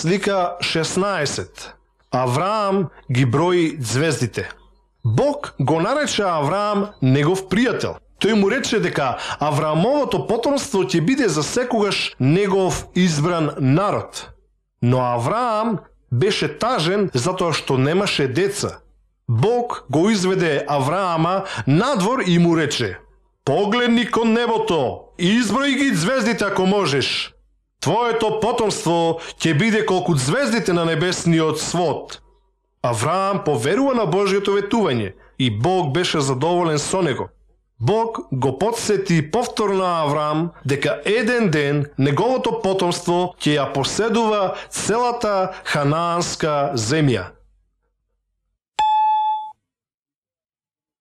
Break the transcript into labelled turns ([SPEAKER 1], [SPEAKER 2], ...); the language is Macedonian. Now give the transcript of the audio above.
[SPEAKER 1] Слика 16. Авраам ги брои звездите. Бог го нарече Авраам негов пријател. Тој му рече дека Авраамовото потомство ќе биде за секогаш негов избран народ. Но Авраам беше тажен затоа што немаше деца. Бог го изведе Авраама надвор и му рече: погледни кон небото и изброи ги звездите ако можеш. Твоето потомство ќе биде колку звездите на небесниот свод. Авраам поверува на Божјото ветување и Бог беше задоволен со него. Бог го потсети повторно Авраам дека еден ден неговото потомство ќе ја поседува целата ханаанска земја.